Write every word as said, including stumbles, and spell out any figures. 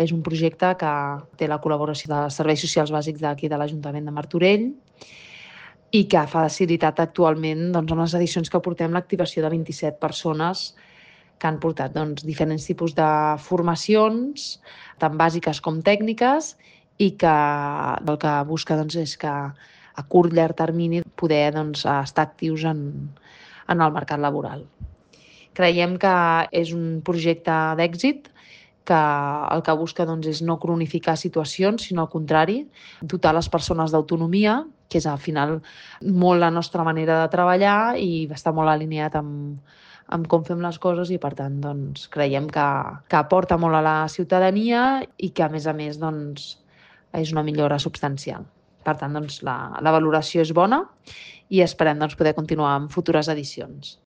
és un projecte que té la col·laboració dels serveis socials bàsics d'aquí de l'Ajuntament de Martorell i que ha facilitat actualment, doncs, en les edicions que portem, l'activació de vint-i-set persones que han portat doncs, diferents tipus de formacions, tant bàsiques com tècniques, i que el que busca doncs, és que a curt llarg termini poder doncs, estar actius en, en el mercat laboral. Creiem que és un projecte d'èxit que el que busca doncs, és no cronificar situacions, sinó al contrari, dotar les persones d'autonomia, que és al final molt la nostra manera de treballar i està molt alineat amb, amb com fem les coses i per tant doncs, creiem que, que aporta molt a la ciutadania i que a més a més doncs, és una millora substancial. Per tant, doncs, la, la valoració és bona i esperem doncs, poder continuar amb futures edicions.